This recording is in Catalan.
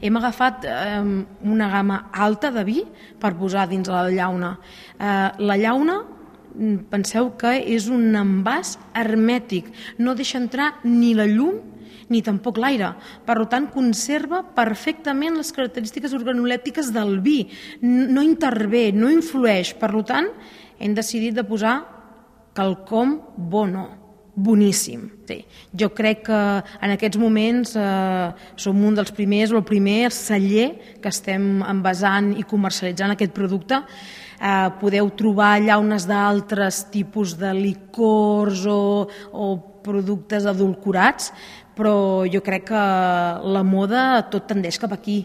Hem agafat una gamma alta de vi per posar dins la llauna. La llauna, penseu que és un envàs hermètic, no deixa entrar ni la llum ni tampoc l'aire. Per tant, conserva perfectament les característiques organolèptiques del vi. No intervé, no influeix. Per tant, hem decidit de posar quelcom boníssim. Sí. Jo crec que en aquests moments som un dels primers, o el primer celler que estem envasant i comercialitzant aquest producte. Podeu trobar llaunes d'altres tipus de licors o productes edulcorats, però jo crec que la moda tot tendeix cap aquí.